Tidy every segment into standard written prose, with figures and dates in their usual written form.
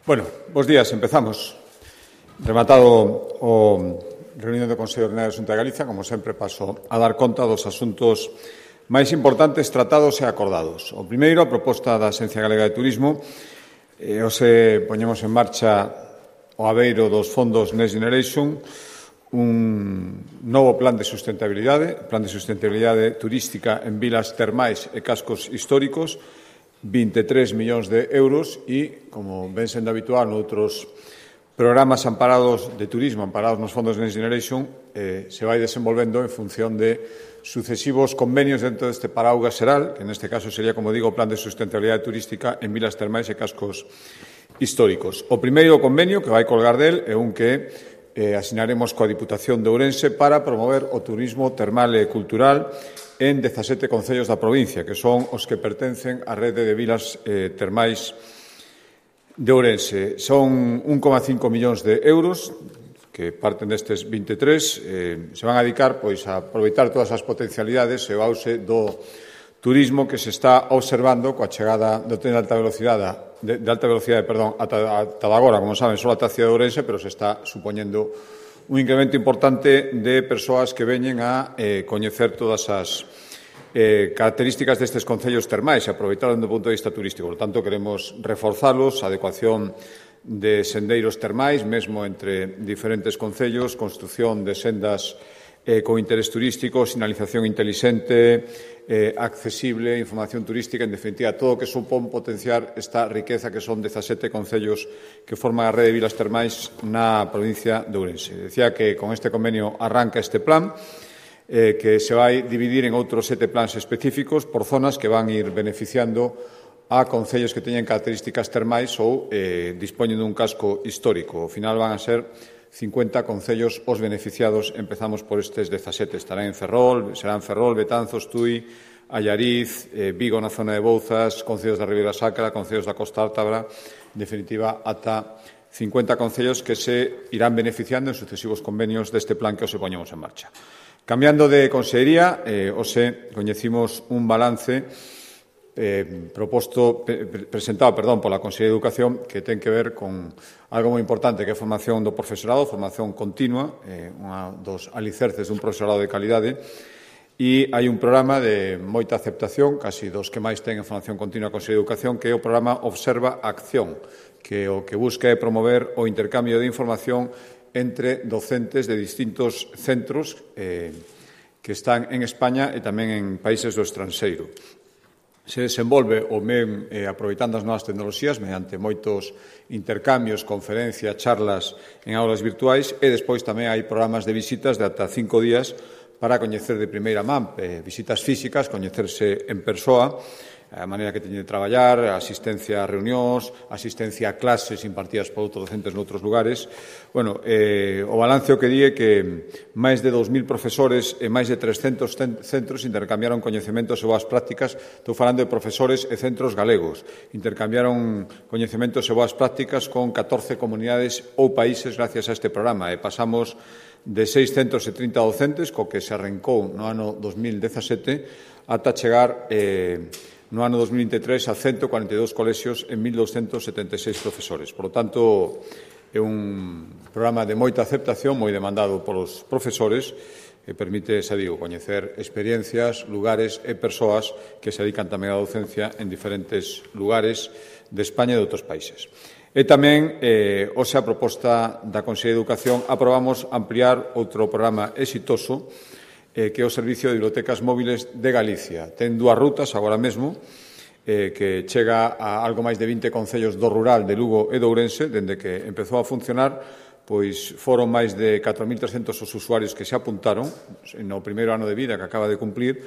Bueno, bos días, empezamos. Rematado o reunión do Consello Ordinario da Xunta de Galicia, como sempre paso a dar conta dos asuntos máis importantes tratados e acordados. O primeiro, a proposta da Axencia Galega de Turismo. Hoxe poñemos en marcha o abeiro dos fondos Next Generation, un novo plan de sustentabilidade turística en vilas termais e cascos históricos, 23 millóns de euros e, como ven sendo habitual noutros programas amparados de turismo, amparados nos fondos Next Generation, se vai desenvolvendo en función de sucesivos convenios dentro deste paraugas xeral, que neste caso sería, como digo, o plan de sustentabilidade turística en vilas termais e cascos históricos. O primeiro convenio que vai colgar del é un que asinaremos coa Diputación de Ourense para promover o turismo termal e cultural en 17 concellos da provincia, que son os que pertencen á rede de vilas termais de Ourense. Son 1,5 millóns de euros que parten destes 23, se van a dedicar pois, a aproveitar todas as potencialidades e o auxe do turismo que se está observando coa chegada do tren de alta velocidade, ata agora, como saben, só ata a cidade de Ourense, pero se está supoñendo un incremento importante de persoas que veñen a coñecer todas as características destes concellos termais e aproveitar do punto de vista turístico. Por tanto, queremos reforzalos, a adecuación de sendeiros termais, mesmo entre diferentes concellos, construción de sendas con interés turístico, sinalización intelixente, accesible, información turística, en definitiva, todo o que supón potenciar esta riqueza que son 17 concellos que forman a rede de vilas termais na provincia de Ourense. Decía que con este convenio arranca este plan, que se vai dividir en outros 7 plans específicos por zonas que van ir beneficiando a concellos que teñen características termais ou dispoñen dun casco histórico. Ao final van a ser 50 concellos os beneficiados. Empezamos por estes 17. Serán Ferrol, Betanzos, Tui, Allariz, Vigo na zona de Bouzas, concellos da Ribeira Sacra, concellos da Costa Ártabra, en definitiva, ata 50 concellos que se irán beneficiando en sucesivos convenios deste plan que os poñemos en marcha. Cambiando de consellería, hoxe coñecimos un balance presentado pola Consellería de Educación que ten que ver con algo moi importante que é a formación do profesorado, formación continua, unha dos alicerces dun profesorado de calidade, e hai un programa de moita aceptación, casi dos que máis ten en formación continua a Consellería de Educación, que é o programa Observa Acción, que o que busca é promover o intercambio de información entre docentes de distintos centros que están en España e tamén en países do estranxeiro. Se desenvolve o MEM aproveitando as novas tecnoloxías mediante moitos intercambios, conferencias, charlas en aulas virtuais e despois tamén hai programas de visitas de ata 5 días para coñecer de primeira man, visitas físicas, coñecerse en persoa, a maneira que teñen de traballar, a asistencia a reunións, asistencia a clases impartidas por outros docentes noutros lugares. Bueno, o balance o que di é que máis de 2.000 profesores e máis de 300 centros intercambiaron coñecementos e boas prácticas. Estou falando de profesores e centros galegos. Intercambiaron coñecementos e boas prácticas con 14 comunidades ou países gracias a este programa. E pasamos de 630 docentes, co que se arrancou no ano 2017, ata chegar no ano 2023 a 142 colexios e 1.276 profesores. Por lo tanto, é un programa de moita aceptación, moi demandado polos profesores, que permite, xa digo, coñecer experiencias, lugares e persoas que se dedican tamén á docencia en diferentes lugares de España e de outros países. E tamén, hoxe a proposta da Consellería de Educación, aprobamos ampliar outro programa exitoso que é o Servicio de Bibliotecas Móviles de Galicia. Ten 2 rutas agora mesmo, que chega a algo máis de 20 concellos do rural de Lugo e de Ourense. Dende que empezou a funcionar, pois foron máis de 4.300 os usuarios que se apuntaron no primeiro ano de vida que acaba de cumplir.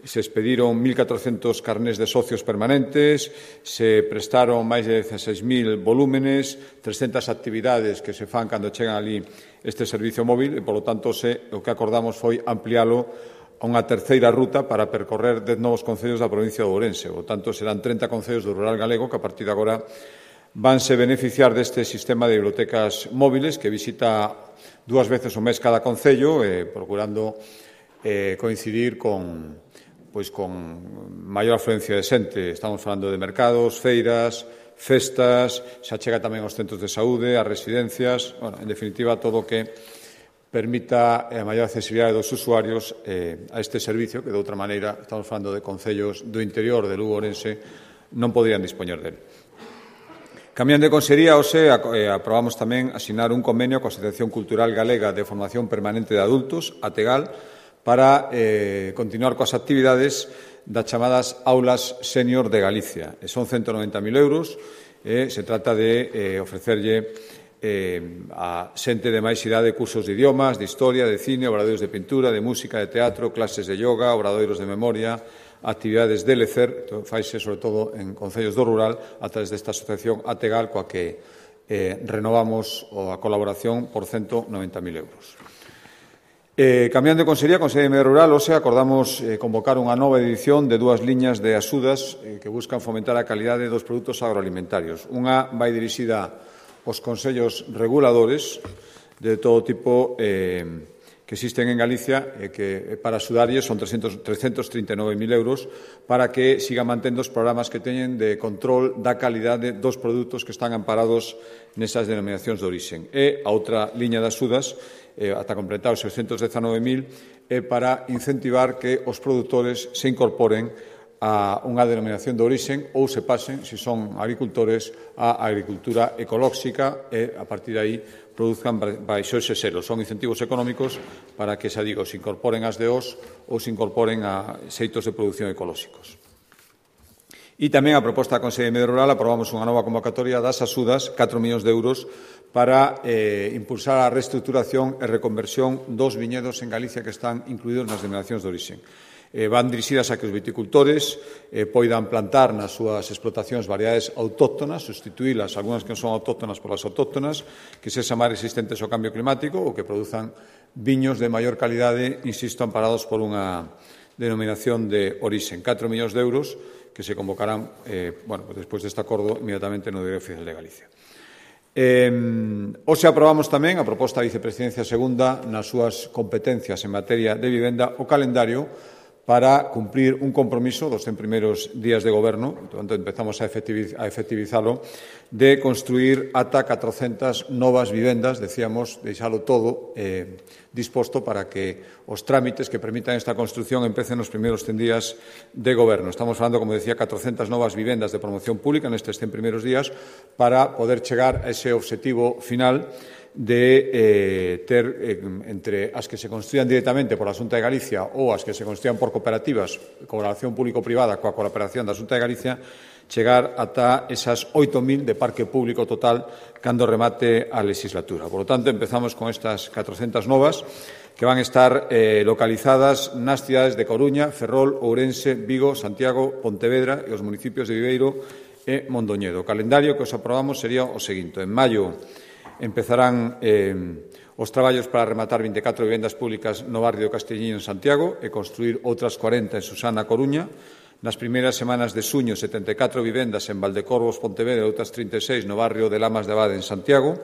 Se expediron 1.400 carnés de socios permanentes, se prestaron máis de 16.000 volúmenes, 300 actividades que se fan cando chegan ali este servicio móvil e, polo tanto, o que acordamos foi ampliálo a unha terceira ruta para percorrer 10 novos concellos da provincia de Ourense. Por tanto, serán 30 concellos do rural galego que a partir de agora vanse beneficiar deste sistema de bibliotecas móviles que visita 2 veces ao mes cada concello, procurando coincidir con maior afluencia de xente. Estamos falando de mercados, feiras, festas, se achega tamén aos centros de saúde, ás residencias, bueno, en definitiva, todo o que permita a maior accesibilidade dos usuarios a este servicio, que de outra maneira, estamos falando de concellos do interior de Lugo, Ourense, non poderían dispoñer dele. Cambiando de consellería, hoxe aprobamos tamén asinar un convenio coa Asociación Cultural Galega de Formación Permanente de Adultos, ATEGAL, para continuar coas actividades das chamadas Aulas Sénior de Galicia. Son 190.000 euros, se trata de ofrecerlle a xente de máis idade cursos de idiomas, de historia, de cine, obradoiros de pintura, de música, de teatro, clases de yoga, obradoiros de memoria, actividades de lecer, faise sobre todo en concellos do rural a través desta asociación ATEGAL coa que renovamos a colaboración por 190.000 euros. Cambiando de consellería, Consellería de Medio Rural, hoxe acordamos convocar unha nova edición de dúas liñas de axudas que buscan fomentar a calidade dos produtos agroalimentarios. Unha vai dirixida aos consellos reguladores de todo tipo que existen en Galicia que para axudarlles son 339.000 euros para que sigan mantendo os programas que teñen de control da calidade dos produtos que están amparados nesas denominacións de orixen. E a outra liña de axudas, ata completar os 619.000, é para incentivar que os produtores se incorporen a unha denominación de orixen ou se pasen, se son agricultores, a agricultura ecolóxica e, a partir de aí, produzcan baixo ese selo. Son incentivos económicos para que, xa digo, se incorporen as DOs ou se incorporen a xeitos de produción ecolóxicos. E tamén a proposta da Consellería de Medio Rural aprobamos unha nova convocatoria das axudas, 4 millóns de euros, para impulsar a reestructuración e reconversión dos viñedos en Galicia que están incluídos nas denominacións de orixen. Van dirixidas a que os viticultores poidan plantar nas súas explotacións variedades autóctonas, sustituílas, algunhas que non son autóctonas polas autóctonas, que sexan máis resistentes ao cambio climático ou que produzan viños de maior calidade, insisto, amparados por unha denominación de orixen. 4 millóns de euros que se convocarán, despois deste acordo, inmediatamente no Diario Oficial de Galicia. Hoxe aprobamos tamén, a proposta da Vicepresidencia Segunda, nas súas competencias en materia de vivenda, o calendario para cumprir un compromiso dos 100 primeiros días de goberno, entón empezamos a efectivizalo, de construir ata 400 novas vivendas, decíamos, deixalo todo disposto para que os trámites que permitan esta construción empecen nos primeiros 100 días de goberno. Estamos falando, como decía, 400 novas vivendas de promoción pública nestes 100 primeiros días para poder chegar a ese objetivo final de ter entre as que se construían directamente por a Xunta de Galicia ou as que se construían por cooperativas, colaboración público-privada coa cooperación da Xunta de Galicia, chegar ata esas 8.000 de parque público total cando remate a legislatura. Por lo tanto, empezamos con estas 400 novas que van a estar localizadas nas cidades de Coruña, Ferrol, Ourense, Vigo, Santiago, Pontevedra e os municipios de Viveiro e Mondoñedo. O calendario que os aprobamos sería o seguinte. En maio empezarán os traballos para rematar 24 vivendas públicas no barrio de Castelliño en Santiago e construir outras 40 en Susana, Coruña. Nas primeiras semanas de xuño, 74 vivendas en Valdecorvos, Pontevedra e outras 36 no barrio de Lamas de Abade en Santiago.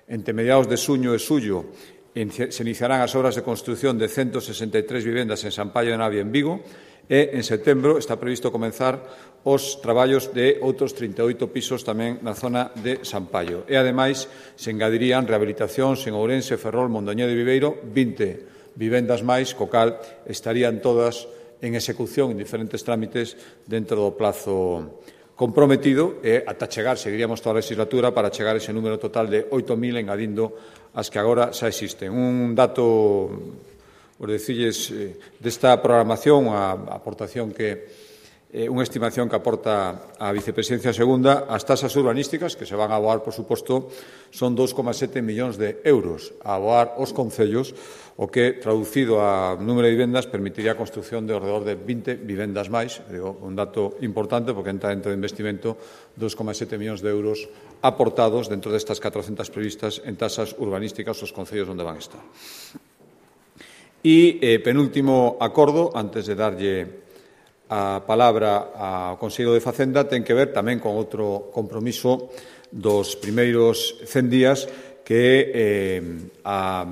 Entre mediados de xuño e xullo se iniciarán as obras de construción de 163 vivendas en San Paio de Navia en Vigo e en setembro está previsto comenzar os traballos de outros 38 pisos tamén na zona de San Paio. E, ademais, se engadirían rehabilitacións en Ourense, Ferrol, Mondoñedo e Viveiro, 20 vivendas máis, co cal estarían todas en execución en diferentes trámites dentro do plazo comprometido e ata chegar, seguiríamos toda a legislatura para chegar a ese número total de 8.000 engadindo as que agora xa existen. Un dato, por decirles, desta programación, a aportación que unha estimación que aporta a Vicepresidencia Segunda, as tasas urbanísticas que se van a aboar, por suposto, son 2,7 millóns de euros a aboar os concellos, o que, traducido a número de vivendas, permitiría a construción de alrededor de 20 vivendas máis, digo, un dato importante, porque entra dentro do investimento 2,7 millóns de euros aportados dentro destas 400 previstas en tasas urbanísticas os concellos onde van a estar. E penúltimo acordo, antes de darlle a palabra ao Consello de Facenda, ten que ver tamén con outro compromiso dos primeiros 100 días que a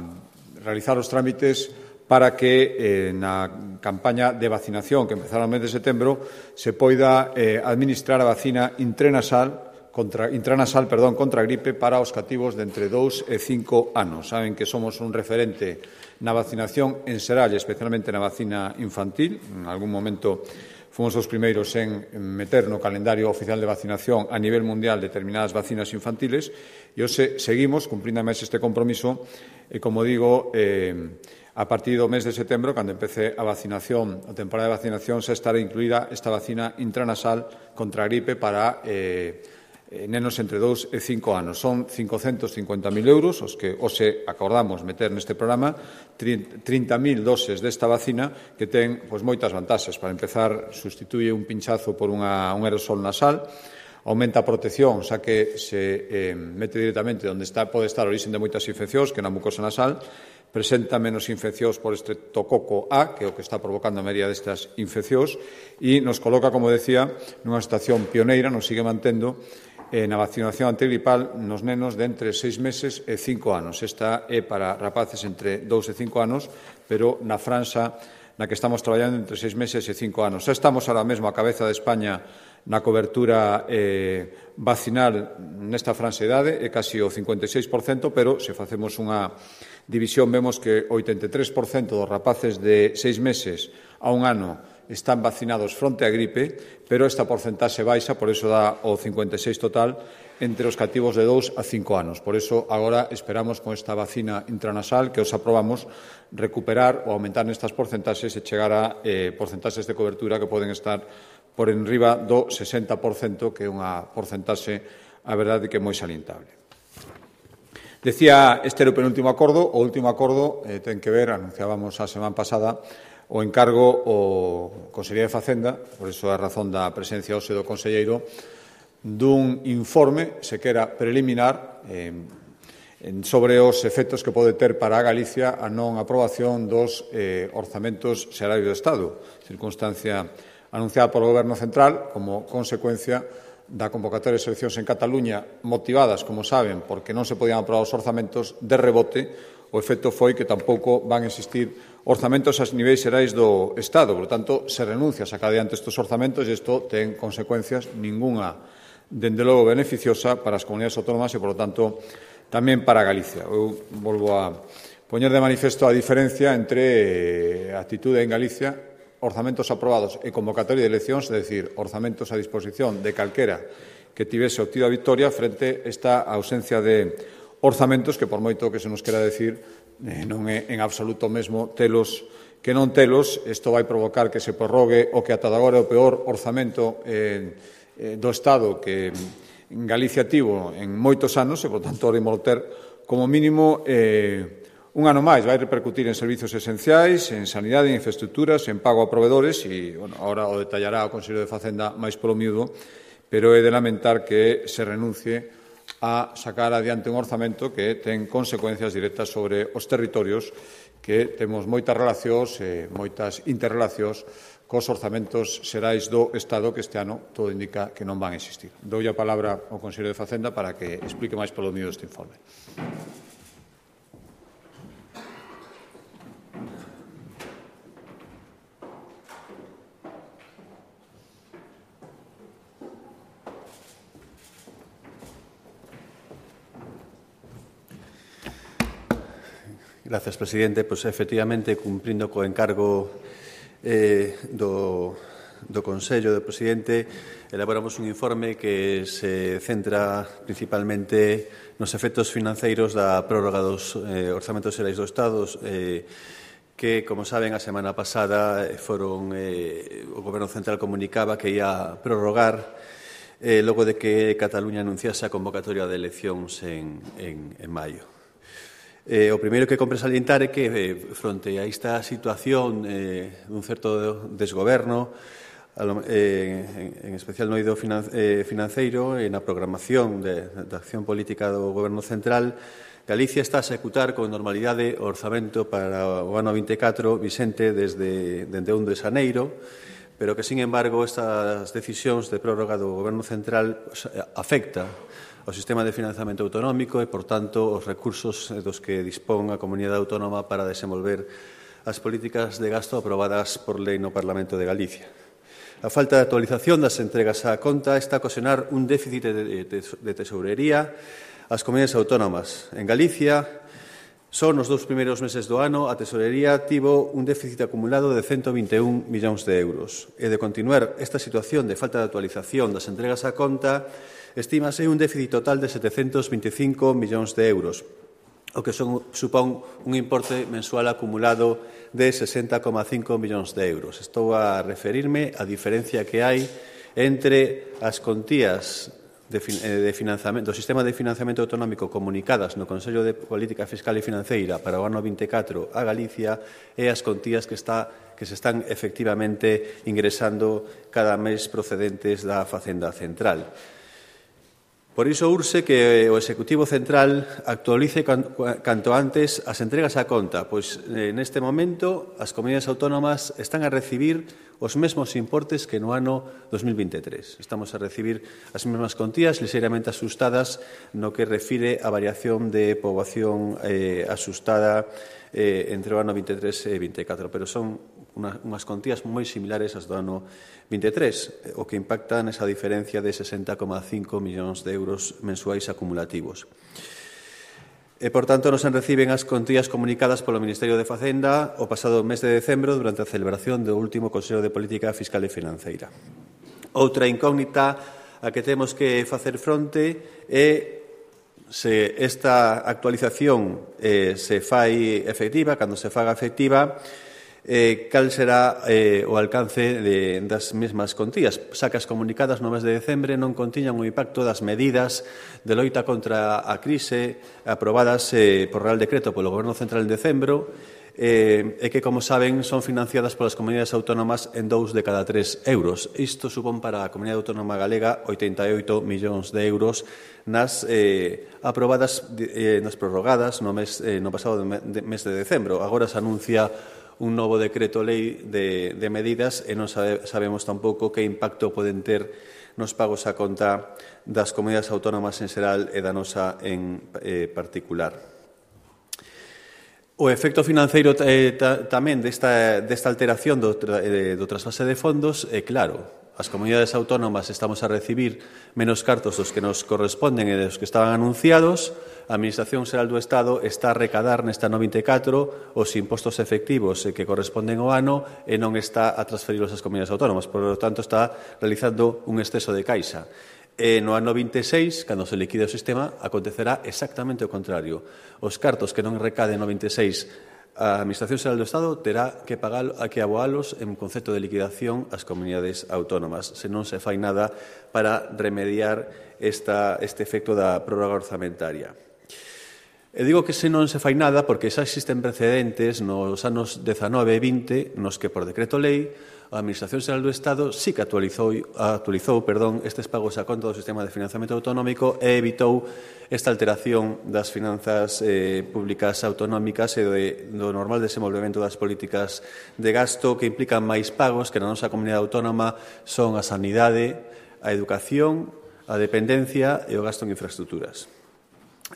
realizar os trámites para que na campaña de vacinación que empezará no mes de setembro se poida administrar a vacina intranasal intranasal contra a gripe para os cativos de entre 2 e 5 anos. Saben que somos un referente na vacinación en xeral, especialmente na vacina infantil. En algún momento fomos os primeiros en meter no calendario oficial de vacinación a nivel mundial determinadas vacinas infantiles e hoxe seguimos cumprindo máis este compromiso e, como digo, a partir do mes de setembro, cando empece a vacinación, a temporada de vacinación, xa estará incluída esta vacina intranasal contra a gripe para nenos entre 2 e 5 anos. Son 550.000 euros os que hoxe acordamos meter neste programa, 30.000 doses desta vacina que ten moitas vantaxes. Para empezar, sustituye un pinchazo por un aerosol nasal, aumenta a protección, xa que se mete directamente onde pode estar o origen de moitas infeccións, que na mucosa nasal, presenta menos infeccións por estreptococo A, que é o que está provocando a maioría destas infeccións, e nos coloca, como decía, nunha situación pioneira, nos sigue mantendo na vacinación antigripal nos nenos de entre 6 meses e 5 anos. Esta é para rapaces entre 2 e 5 anos, pero na franxa na que estamos traballando entre 6 meses e 5 anos. Xa estamos ahora mesmo a cabeza de España na cobertura vacinal nesta franxa de idade, é casi o 56%, pero se facemos unha división vemos que o 83% dos rapaces de 6 meses a 1 ano están vacinados fronte á gripe, pero esta porcentaxe baixa, por iso dá o 56 total, entre os cativos de 2 a 5 anos. Por iso, agora esperamos con esta vacina intranasal que os aprobamos recuperar ou aumentar nestas porcentaxes e chegar a porcentaxes de cobertura que poden estar por enriba do 60%, que é unha porcentaxe, a verdade, que é moi salientable. Decía, este era o penúltimo acordo. O último acordo ten que ver, anunciábamos a semana pasada, o encargo o Consellería de Facenda, por iso a razón da presencia hoxe do conselleiro, dun informe, sequera preliminar, sobre os efectos que pode ter para a Galicia a non aprobación dos orzamentos xerais do Estado, circunstancia anunciada polo Goberno Central como consecuencia da convocatoria de seleccións en Cataluña motivadas, como saben, porque non se podían aprobar os orzamentos. De rebote, o efecto foi que tampouco van a existir orzamentos a niveis xerais do Estado. Por tanto, se renuncia a sacar adiante estes orzamentos e isto ten consecuencias ningunha, dende logo, beneficiosa para as comunidades autónomas e, por lo tanto, tamén para Galicia. Eu volvo a poñer de manifesto a diferencia entre a actitude en Galicia, orzamentos aprobados e convocatoria de eleccións, é dicir, orzamentos a disposición de calquera que tivese obtido a victoria frente a esta ausencia de orzamentos que, por moito que se nos quera decir, non é en absoluto mesmo telos que non telos. Isto vai provocar que se prorrogue o que ata agora é o peor orzamento do Estado que en Galicia tivo en moitos anos e, por tanto, imos ter como mínimo un ano máis. Vai repercutir en servizos esenciais, en sanidade, en infraestructuras, en pago a provedores e, agora o detallará o Consello de Facenda máis polo miúdo, pero é de lamentar que se renuncie a sacar adiante un orzamento que ten consecuencias directas sobre os territorios, que temos moitas relacións e moitas interrelacións cos orzamentos xerais do Estado, que este ano todo indica que non van a existir. Doulle a palabra ao Consello de Facenda para que explique máis polo miúdo este informe. Gracias, presidente. Pois, efectivamente, cumprindo co encargo do Consello do Presidente, elaboramos un informe que se centra principalmente nos efectos financeiros da prórroga dos orzamentos xerais do Estado, que, como saben, a semana pasada o Goberno Central comunicaba que ia prorrogar logo de que Cataluña anunciase a convocatoria de eleccións en maio. O primeiro que compre salientar é que, fronte a esta situación dun certo desgoberno, en especial no eido financeiro e na programación da acción política do Goberno Central, Galicia está a executar con normalidade o orzamento para o ano 24 vixente desde 1 de xaneiro, pero que, sin embargo, estas decisións de prórroga do Goberno Central afecta o sistema de financiamento autonómico e, por tanto, os recursos dos que dispón a comunidade autónoma para desenvolver as políticas de gasto aprobadas por lei no Parlamento de Galicia. A falta de actualización das entregas á conta está a ocasionar un déficit de tesourería ás comunidades autónomas. En Galicia, só nos 2 primeiros meses do ano, a tesorería tivo un déficit acumulado de 121 millóns de euros. E de continuar esta situación de falta de actualización das entregas á conta, estímase un déficit total de 725 millóns de euros, o que supón un importe mensual acumulado de 60,5 millóns de euros. Estou a referirme á diferencia que hai entre as contías do sistema de financiamento autonómico comunicadas no Consello de Política Fiscal e Financeira para o ano 24 a Galicia e as contías que se están efectivamente ingresando cada mes procedentes da Facenda Central. Por iso urxe que o Executivo Central actualice canto antes as entregas á conta, pois neste momento as comunidades autónomas están a recibir os mesmos importes que no ano 2023. Estamos a recibir as mesmas contías ligeiramente asustadas no que refire a variación de poboación asustada entre o ano 23 e 24, pero son unhas contías moi similares ás do ano 23, o que impacta nesa diferencia de 60,5 millóns de euros mensuais acumulativos. E, por tanto, non se reciben as contías comunicadas polo Ministerio de Facenda o pasado mes de decembro durante a celebración do último Consello de Política Fiscal e Financeira. Outra incógnita a que temos que facer fronte é se esta actualización se fai efectiva, cando se faga efectiva, cal será o alcance das mesmas contías, xa que as comunicadas no mes de decembre non contiñan o impacto das medidas de loita contra a crise aprobadas por Real Decreto polo Goberno Central en decembro e que, como saben, son financiadas polas comunidades autónomas en 2 de cada 3 euros. Isto supón para a Comunidade Autónoma Galega 88 millóns de euros nas aprobadas, nas prorrogadas no pasado mes de decembro. Agora se anuncia un novo decreto lei de medidas e non sabemos tampouco que impacto poden ter nos pagos á conta das comunidades autónomas en xeral e da nosa en particular. O efecto financeiro tamén desta alteración do trasvase de fondos é claro. As comunidades autónomas estamos a recibir menos cartos dos que nos corresponden e dos que estaban anunciados. A Administración Xeral do Estado está a recadar nesta ano 24 os impostos efectivos que corresponden ao ano e non está a transferilos ás comunidades autónomas. Por lo tanto, está realizando un exceso de caixa. E no ano 26, cando se liquide o sistema, acontecerá exactamente o contrario. Os cartos que non recaden no 26 a Administración Xeral do Estado terá que aboalos en concepto de liquidación ás comunidades autónomas, se non se fai nada para remediar este efecto da prórroga orzamentaria. E digo que se non se fai nada porque xa existen precedentes nos anos 19 e 20 nos que por decreto lei a Administración Xeral do Estado sí que actualizou estes pagos a conta do sistema de financiamento autonómico e evitou esta alteración das finanzas públicas autonómicas e do normal desenvolvemento das políticas de gasto que implican máis pagos que na nosa comunidade autónoma son a sanidade, a educación, a dependencia e o gasto en infraestructuras.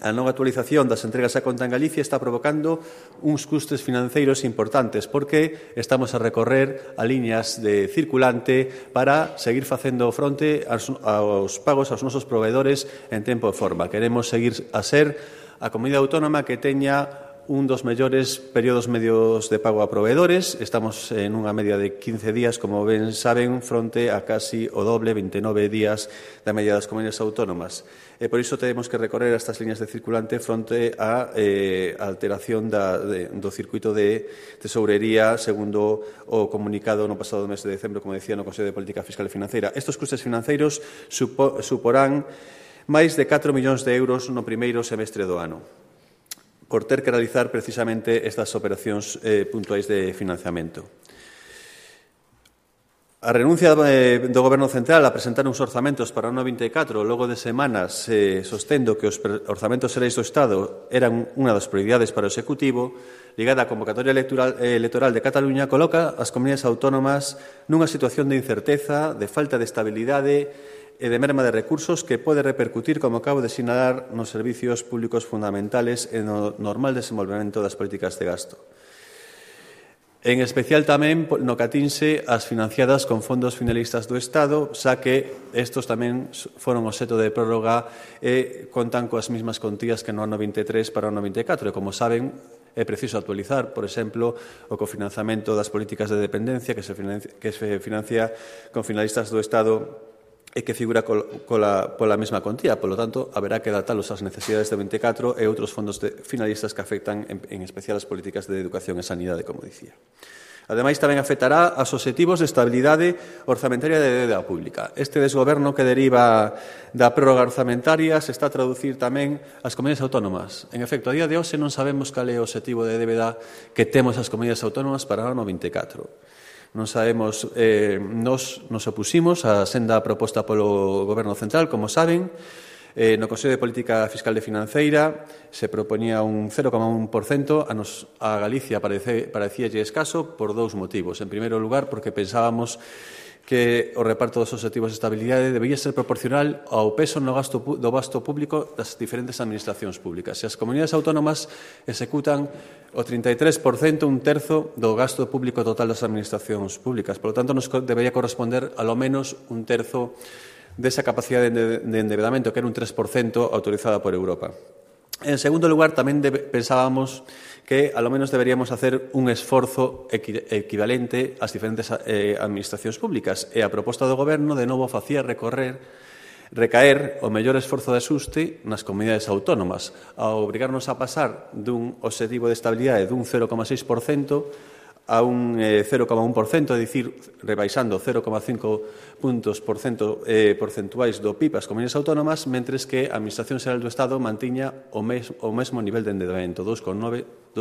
A non actualización das entregas á conta en Galicia está provocando uns custes financeiros importantes porque estamos a recorrer a liñas de circulante para seguir facendo fronte aos pagos aos nosos proveedores en tempo e forma. Queremos seguir a ser a comunidade autónoma que teña un dos mellores períodos medios de pago a proveedores. Estamos en unha media de 15 días, como ben saben, fronte a casi o doble, 29 días da media das comunidades autónomas. E por iso temos que recorrer estas liñas de circulante fronte á alteración do circuito de tesourería segundo o comunicado no pasado mes de decembro, como decía, no Consello de Política Fiscal e Financeira. Estes custes financeiros suporán máis de 4 millóns de euros no primeiro semestre do ano, por ter que realizar precisamente estas operacións puntuais de financiamento. A renuncia do Goberno Central a presentar uns orzamentos para o ano 24 logo de semanas sostendo que os orzamentos xerais do Estado eran unha das prioridades para o Executivo, ligada á convocatoria electoral de Cataluña, coloca as comunidades autónomas nunha situación de incerteza, de falta de estabilidade e de merma de recursos que pode repercutir, como acabo de sinalar, nos servicios públicos fundamentales e no normal desenvolvemento das políticas de gasto. En especial tamén no que atinse as financiadas con fondos finalistas do Estado, xa que estos tamén foron obxecto de prórroga e contan coas mesmas contías que no ano 23 para o ano 24. E, como saben, é preciso actualizar, por exemplo, o cofinanciamento das políticas de dependencia que se financia con finalistas do Estado e que figura pola mesma contía. Por lo tanto, haberá que adaptalos ás necesidades de 24 e outros fondos finalistas que afectan en especial as políticas de educación e sanidade, como dicía. Ademais, tamén afectará aos obxectivos de estabilidade orzamentaria de débeda pública. Este desgoberno que deriva da prórroga orzamentaria se está a traducir tamén ás comunidades autónomas. En efecto, a día de hoxe non sabemos cal é o obxectivo de débeda que temos as comunidades autónomas para o ano 24. Non sabemos, nos opusimos á senda proposta polo Goberno Central, como saben. No Consello de Política Fiscal e Financeira se proponía un 0,1%, a Galicia parecíalle escaso por dous motivos. En primeiro lugar, porque pensábamos que o reparto dos obxectivos de estabilidade debía ser proporcional ao peso do gasto público das diferentes administracións públicas. Se as comunidades autónomas executan o 33%, un terzo do gasto público total das administracións públicas. Por lo tanto, nos debería corresponder ao menos un terzo desa capacidade de endebedamento, que era un 3% autorizada por Europa. En segundo lugar, tamén pensábamos que, ao menos, deberíamos hacer un esforzo equivalente ás diferentes administracións públicas. E a proposta do Goberno, de novo, facía recaer o mellor esforzo de axuste nas comunidades autónomas, ao obrigarnos a pasar dun obxectivo de estabilidade dun 0,6% a un 0,1%, é dicir, rebaixando 0,5 puntos porcentuais do PIB as comunidades autónomas, mentres que a Administración Xeral do Estado mantiña o mesmo nivel de endebedamento, 2,9.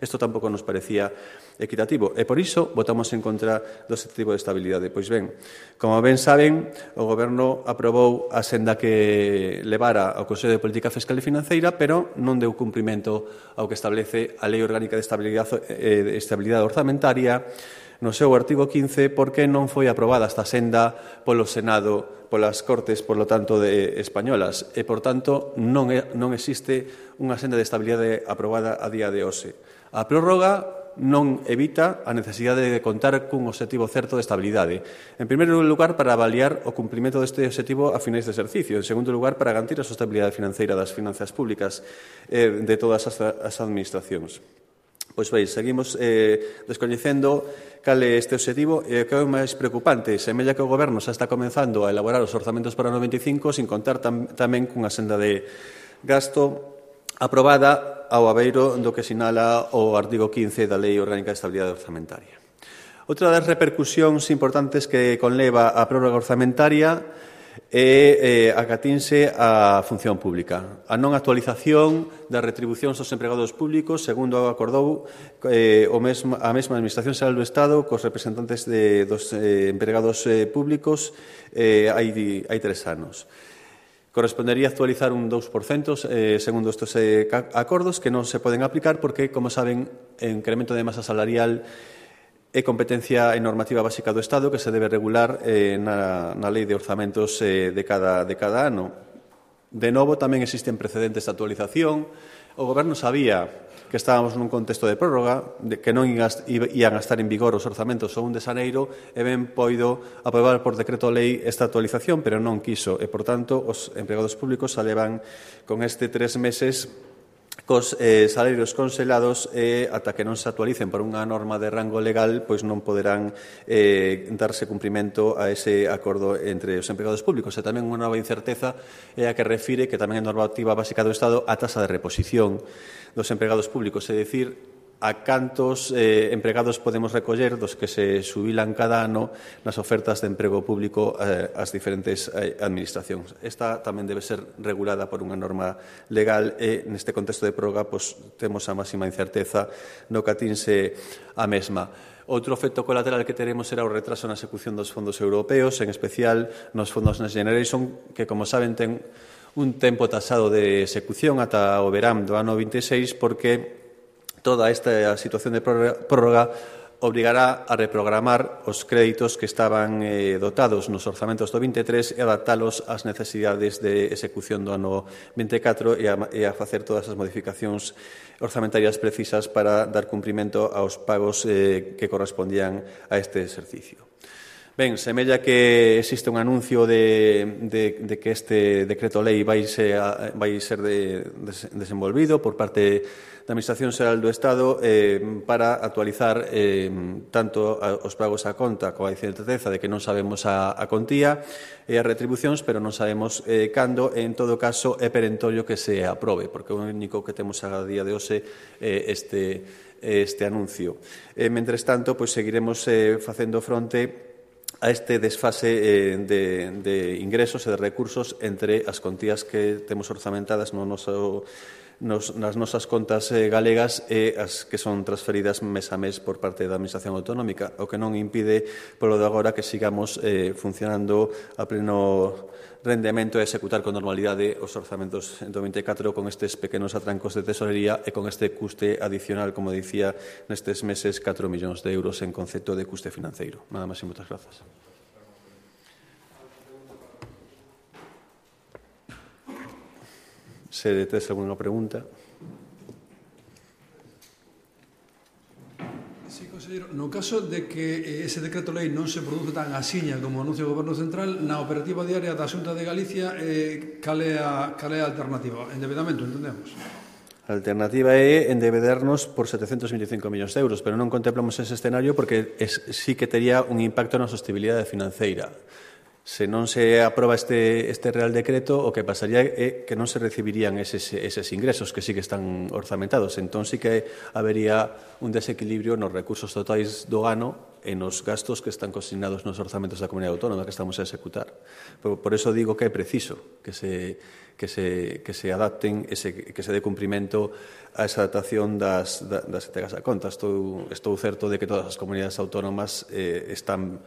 Isto tampouco nos parecía equitativo e, por iso, votamos en contra do objetivo de estabilidade. Pois ben, como ben saben, o Goberno aprobou a senda que levara ao Consello de Política Fiscal e Financeira, pero non deu cumprimento ao que establece a Lei Orgánica de Estabilidade Orzamentaria no seu artigo 15, porque non foi aprobada esta senda polo Senado, polas Cortes, por lo tanto, españolas, e, por tanto, non existe unha senda de estabilidade aprobada a día de hoxe. A prórroga non evita a necesidade de contar cun obxectivo certo de estabilidade. En primeiro lugar, para avaliar o cumprimento deste obxectivo a finais de exercicio. En segundo lugar, para garantir a sostenibilidade financeira das finanzas públicas de todas as administracións. Pois ben, seguimos descoñecendo cal é este obxectivo e o que é máis preocupante. Semella que o Goberno xa está comenzando a elaborar os orzamentos para o 95 sin contar tamén cunha senda de gasto aprobada ao abeiro do que sinala o artigo 15 da Lei Orgánica de Estabilidade Orzamentaria. Outra das repercusións importantes que conleva a prórroga orzamentaria é a que atinse a función pública. A non actualización das retribucións aos empregados públicos, segundo acordou a mesma Administración Xeral do Estado cos representantes dos empregados públicos hai 3 anos. Correspondería actualizar un 2% segundo estes acordos que non se poden aplicar porque, como saben, o incremento de masa salarial é competencia e normativa básica do Estado que se debe regular na Lei de Orzamentos de cada ano. De novo, tamén existen precedentes de actualización. O Goberno sabía que estábamos nun contexto de prórroga, que non ian a estar en vigor os orzamentos o 1 de xaneiro, e ben poido aprobar por decreto lei esta actualización, pero non quiso. E, por tanto, os empregados públicos xa levan con este 3 meses cos salarios congelados e ata que non se actualicen por unha norma de rango legal, pois non poderán darse cumprimento a ese acordo entre os empregados públicos. E tamén unha nova incerteza é a que refire que tamén é normativa básica do Estado a tasa de reposición dos empregados públicos, é dicir, a cantos empregados podemos recoller dos que se xubilan cada ano nas ofertas de emprego público ás diferentes administracións. Esta tamén debe ser regulada por unha norma legal e neste contexto de prórroga temos a máxima incerteza no que atinse a mesma. Outro efecto colateral que teremos será o retraso na execución dos fondos europeos, en especial nos fondos Next Generation, que, como saben, ten un tempo tasado de execución ata o verán do ano 26, porque toda esta situación de prórroga obrigará a reprogramar os créditos que estaban dotados nos orzamentos do 23 e adaptalos ás necesidades de execución do ano 24 e a facer todas as modificacións orzamentarias precisas para dar cumprimento aos pagos que correspondían a este exercicio. Ben, semella que existe un anuncio de que este decreto-lei vai ser desenvolvido por parte da Administración Xeral do Estado para actualizar tanto os pagos á conta coa incerteza de que non sabemos a contía e as retribucións, pero non sabemos cando, e en todo caso é perentorio que se aprobe, porque o único que temos a día de hoxe é este anuncio. Mentres tanto, pois seguiremos facendo fronte a este desfase de ingresos e de recursos entre as contías que temos orzamentadas nas nosas contas galegas e as que son transferidas mes a mes por parte da Administración Autonómica, o que non impide, polo de agora, que sigamos funcionando a pleno rendemento e executar con normalidade os orzamentos do 24 con estes pequenos atrancos de tesorería e con este custe adicional, como dicía, nestes meses 4 millóns de euros en concepto de custe financeiro. Nada máis e moitas grazas. Se tes alguna pregunta. Sí, conselleiro, no caso de que ese decreto-lei non se produce tan axiña como anuncia o Goberno Central, na operativa diaria da Xunta de Galicia, cal é a alternativa? Endebedamento, entendemos? A alternativa é endebedarnos por 725 millóns de euros, pero non contemplamos ese escenario porque sí que tería un impacto na sostenibilidade financeira. Se non se aproba este Real Decreto, o que pasaría é que non se recibirían eses ingresos que sí que están orzamentados. Entón, sí que habería un desequilibrio nos recursos totais do ano e nos gastos que están consignados nos orzamentos da Comunidade Autónoma que estamos a executar. Por eso digo que é preciso que se adapten, que se dé cumprimento a esa adaptación das entregas a conta. Estou certo de que todas as comunidades autónomas están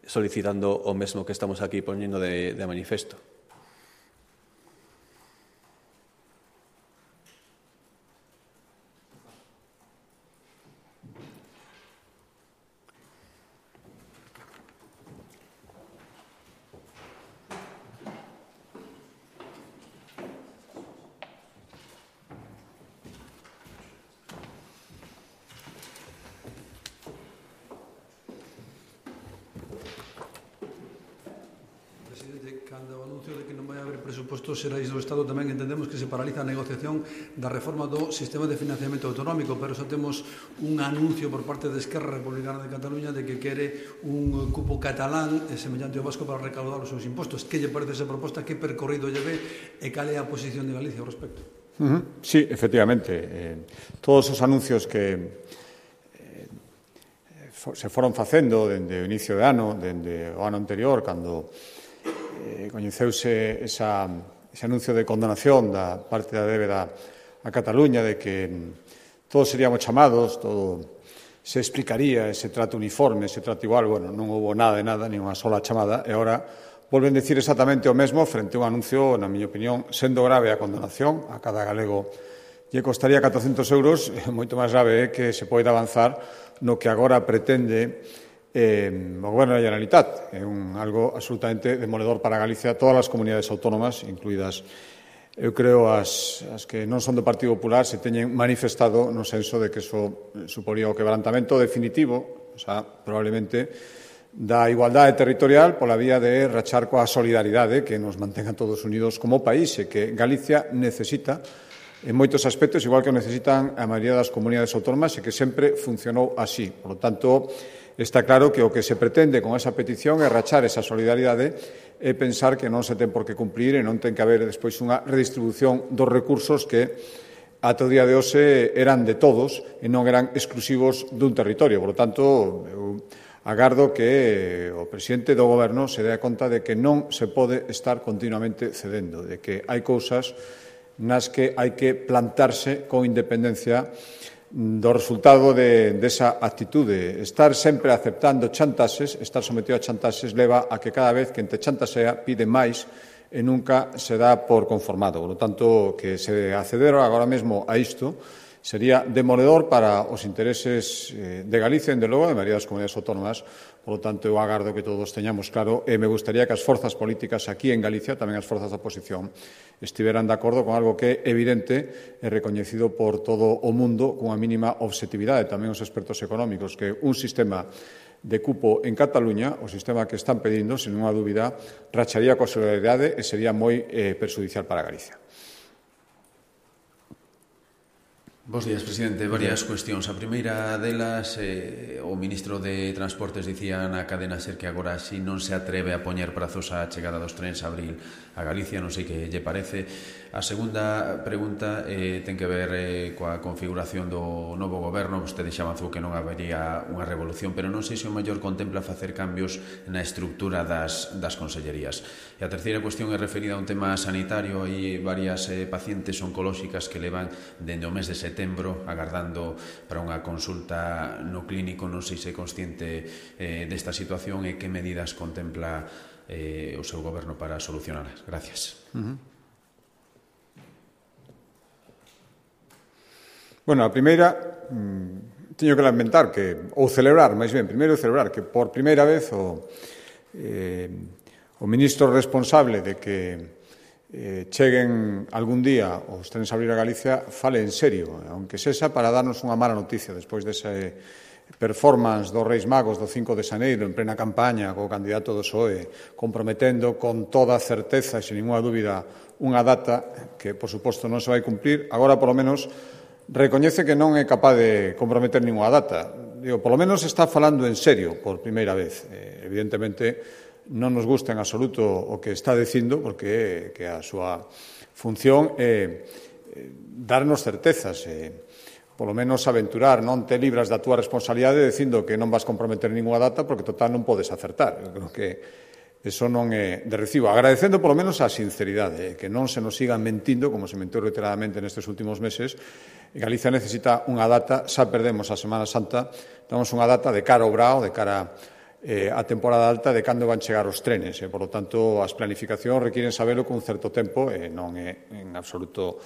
solicitando o mesmo que estamos aquí poñendo de manifesto. Cando o anuncio de que non vai haber presupostos xerais do Estado, tamén entendemos que se paraliza a negociación da reforma do sistema de financiamento autonómico, pero xa temos un anuncio por parte de Esquerra Republicana de Cataluña de que quere un cupo catalán semellante ao vasco para recaudar os seus impostos. Que lle parece esa proposta? Que percorrido lle ve e cal é a posición de Galicia ao respecto? Sí, efectivamente. Todos os anuncios que se foron facendo dende o inicio de ano, dende o ano anterior, cando coñeceuse ese anuncio de condonación da parte da débeda a Cataluña, de que todos seríamos chamados, todo se explicaría, ese trato uniforme, ese trato igual. Bueno, non houve nada de nada, ni unha sola chamada, e agora volven dicir exactamente o mesmo frente a un anuncio, na miña opinión, sendo grave a condonación, a cada galego lle costaría 400 euros, moito máis grave é que se poida avanzar no que agora pretende o Goberno da Generalitat. É algo absolutamente demoledor para Galicia, todas as comunidades autónomas, incluídas, eu creo, as que non son do Partido Popular, se teñen manifestado no senso de que iso suporía o quebrantamento definitivo, probablemente, da igualdade territorial pola vía de rachar coa solidaridade que nos mantenga todos unidos como país e que Galicia necesita en moitos aspectos, igual que o necesitan a maioría das comunidades autónomas e que sempre funcionou así. Por lo tanto, está claro que o que se pretende con esa petición é rachar esa solidaridade e pensar que non se ten por que cumplir e non ten que haber despois unha redistribución dos recursos que ata o día de hoxe eran de todos e non eran exclusivos dun territorio. Por lo tanto, eu agardo que o presidente do Goberno se dé conta de que non se pode estar continuamente cedendo, de que hai cousas nas que hai que plantarse con independencia do resultado desa actitude. Estar sempre aceptando chantaxes, estar sometido a chantaxes, leva a que cada vez que te chantaxea pide máis e nunca se dá por conformado. Por lo tanto, que se acceder agora mesmo a isto sería demoledor para os intereses de Galicia, en de logo, de maioría das comunidades autónomas. Por lo tanto, eu agardo que todos teñamos claro e me gustaría que as forzas políticas aquí en Galicia, tamén as forzas da oposición, estiveran de acordo con algo que é evidente e recoñecido por todo o mundo cunha mínima obxectividade, tamén os expertos económicos, que un sistema de cupo en Cataluña, o sistema que están pedindo, sin unha dúbida, racharía coa solidaridade e sería moi perxudicial para Galicia. Bos días, presidente. Varias cuestións. A primeira delas, o ministro de Transportes dicía na cadena SER que agora si non se atreve a poñer prazos á chegada dos trens a abril a Galicia, non sei que lle parece. A segunda pregunta ten que ver coa configuración do novo goberno. Vostede xa avanzou que non habería unha revolución, pero non sei se o mellor contempla facer cambios na estructura das consellerías. E a terceira cuestión é referida a un tema sanitario. Hai varias pacientes oncolóxicas que levan dende o mes de setembro agardando para unha consulta no clínico. Non sei se é consciente desta situación e que medidas contempla o seu goberno para solucionarlas. Gracias. Bueno, a primeira, teño que lamentar que, ou celebrar, máis ben, primeiro celebrar que por primeira vez o ministro responsable de que cheguen algún día os trens a abrir a Galicia fale en serio, aunque sexa para darnos unha mala noticia despois dese performance dos Reis Magos do 5 de xaneiro en plena campaña co candidato do PSOE comprometendo con toda certeza e sin ninguna dúbida unha data que, por suposto, non se vai cumprir. Agora, polo menos, recoñece que non é capaz de comprometer ninguna data. Digo, polo menos está falando en serio por primeira vez. Evidentemente, non nos gusta en absoluto o que está dicindo, porque que a súa función é darnos certezas, polo menos aventurar, non te libras da túa responsabilidade dicindo que non vas comprometer ninguna data porque total non podes acertar. Eu creo que eso non é de recibo. Agradecendo polo menos a sinceridade, que non se nos sigan mentindo, como se mentiu reiteradamente nestes últimos meses. Galicia necesita unha data, xa perdemos a Semana Santa, temos unha data de cara ao brao, de cara a temporada alta de cando van chegar os trenes. Por lo tanto, as planificacións requiren saberlo con un certo tempo e non é en absoluto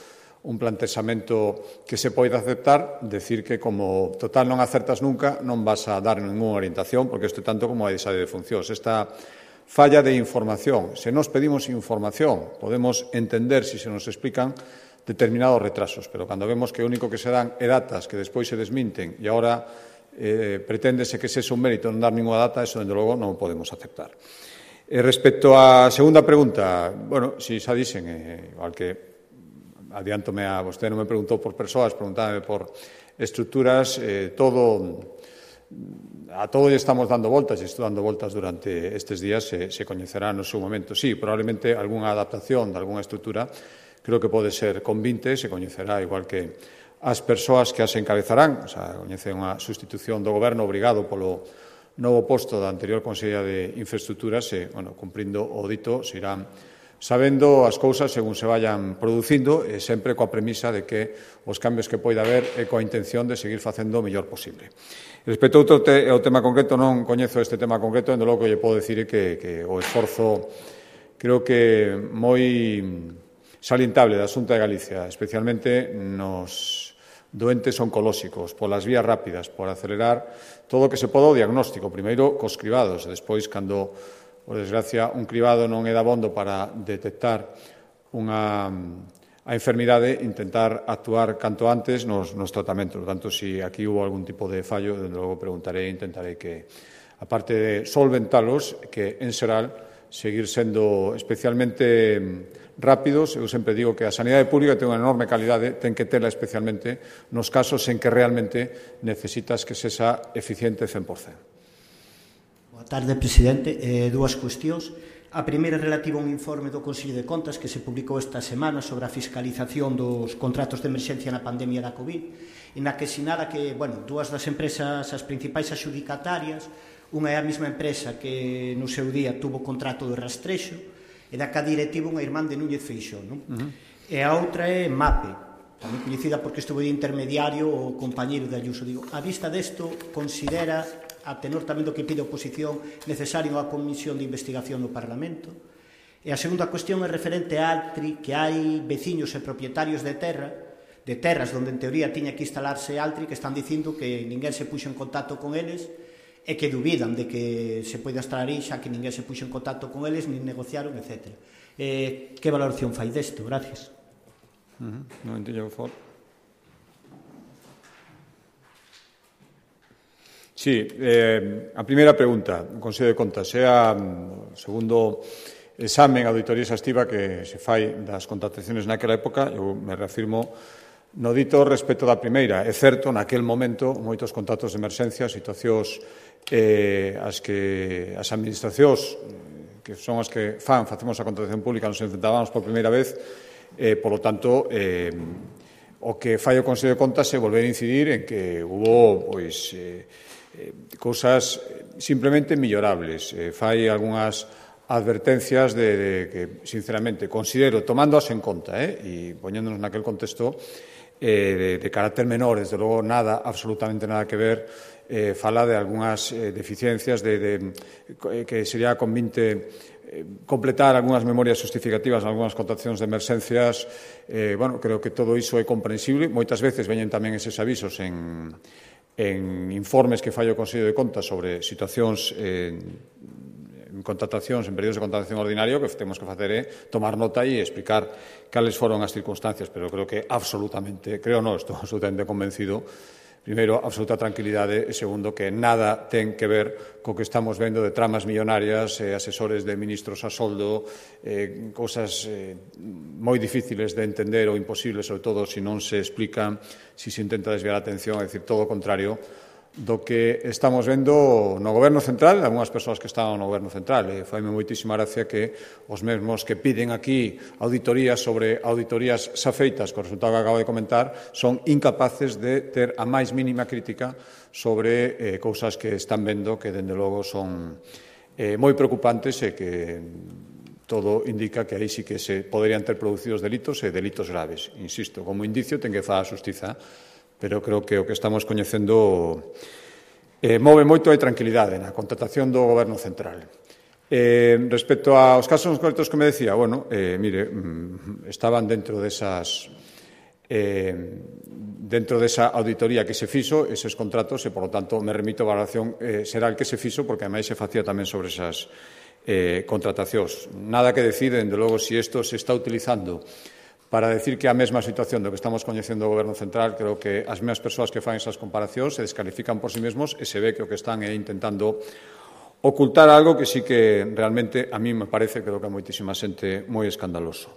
un plantexamento que se poida aceptar, decir que como total non acertas nunca non vas a dar ninguna orientación, porque isto é tanto como a desade de funcións. Esta falla de información, se nos pedimos información, podemos entender se nos explican determinados retrasos, pero cando vemos que o único que se dan é datas que despois se desminten e agora preténdese que ese é un mérito non dar ninguna data, eso, dende logo, non o podemos aceptar. Respecto á segunda pregunta, bueno, si xa dixen, igual que adiántome a vostede non me preguntou por persoas, preguntábame por estruturas, a todo lle estamos dando voltas e estou dando voltas durante estes días, se coñecerá no seu momento. Sí, probablemente algunha adaptación de algunha estrutura creo que pode ser convinte, se coñecerá igual que as persoas que as encabezarán, o sea, coñece unha sustitución do goberno obrigado polo novo posto da anterior Conselleira de Infraestructuras e, bueno, cumprindo o dito, se irán sabendo as cousas según se vayan producindo e sempre coa premisa de que os cambios que poida haber é coa intención de seguir facendo o mellor posible. Respecto ao tema concreto, non coñezo este tema concreto, en logo que lle podo dicir que o esforzo creo que moi salientable da Xunta de Galicia, especialmente nos doentes oncolóxicos, polas vías rápidas, por acelerar todo o que se poda o diagnóstico, primeiro cos cribados, e despois, cando, por desgracia, un cribado non é dabondo para detectar a enfermidade, intentar actuar canto antes nos tratamentos. Por tanto, se aquí hubo algún tipo de fallo, desde logo preguntarei e intentarei que, aparte de solventalos, que en xeral seguir sendo especialmente rápidos. Eu sempre digo que a sanidade pública ten unha enorme calidade, ten que tela especialmente nos casos en que realmente necesitas que sexa eficiente 100%. Boa tarde, presidente. Dúas cuestións. A primeira é relativa a un informe do Consello de Contas que se publicou esta semana sobre a fiscalización dos contratos de emerxencia na pandemia da COVID, e na que sinala que, bueno, dúas das empresas, as principais adxudicatarias, unha é a mesma empresa que no seu día tuvo contrato de rastrexo, e da que a directiva unha irmán de Núñez Feixóo, non? E a outra é MAPE, tamén coñecida porque estuvo de intermediario o compañeiro de Ayuso. Digo, a vista desto, considera, a tenor tamén do que pide a oposición, necesario unha comisión de investigación no Parlamento? E a segunda cuestión é referente a Altri, que hai veciños e propietarios de terra de terras onde en teoría tiña que instalarse Altri, que están dicindo que ninguén se puxo en contacto con eles e que dubidan de que se poida instalar aí, xa que ninguén se puxo en contacto con eles, nin negociaron, etc. Que valoración fai desto? Gracias. Non entendo, por favor. Sí, a primeira pregunta, o Consello de Contas, é o segundo examen, auditoría exhaustiva que se fai das contrataciones naquela época. Eu me reafirmo no dito respecto da primeira. É certo, naquel momento, moitos contratos de emerxencia, situacións as que as administracións, que son as que facemos a contratación pública, nos enfrentábamos por primeira vez, por lo tanto, o que fai o Consello de Contas é volver a incidir en que hubo, pois, cousas simplemente mellorables. Fai algunhas advertencias de que, sinceramente, considero, tomándoas en conta, e poñéndonos naquel contexto de carácter menor, desde logo nada, absolutamente nada que ver, fala de algunhas deficiencias que sería convinte completar algunhas memorias justificativas en algunhas contratacións de emerxencias. Creo que todo iso é comprensible. Moitas veces veñen tamén eses avisos en informes que fai o Consello de Contas sobre situacións en contratacións, en períodos de contratación ordinario, que temos que facer é tomar nota e explicar cales foron as circunstancias, pero creo que absolutamente, estou absolutamente convencido, primeiro, absoluta tranquilidade, e segundo, que nada ten que ver co que estamos vendo de tramas millonarias, asesores de ministros a soldo, cousas moi difíciles de entender ou imposibles, sobre todo se non se explican, se intenta desviar a atención, é dicir, todo o contrario do que estamos vendo no Goberno Central, algunhas persoas que estaban no Goberno Central. Faime moitísima gracia que os mesmos que piden aquí auditorías sobre auditorías xa feitas, co resultado que acabo de comentar, son incapaces de ter a máis mínima crítica sobre cousas que están vendo que, dende logo, son moi preocupantes e que todo indica que aí sí que se poderían ter producidos delitos e delitos graves. Insisto, como indicio ten que falar a xustiza, pero creo que o que estamos coñecendo move moito de tranquilidade na contratación do Goberno Central. Respecto aos casos concretos que me decía, estaban dentro desa auditoría que se fixo, eses contratos, e, por lo tanto, me remito a valoración será el que se fixo, porque, ademais, se facía tamén sobre esas contratacións. Nada que deciden, de logo, se isto se está utilizando para decir que a mesma situación do que estamos coñecendo o Goberno Central. Creo que as mesmas persoas que fan esas comparacións se descalifican por sí mesmos e se ve que o que están é intentando ocultar algo que sí que realmente a mí me parece, creo que a moitísima xente, moi escandaloso.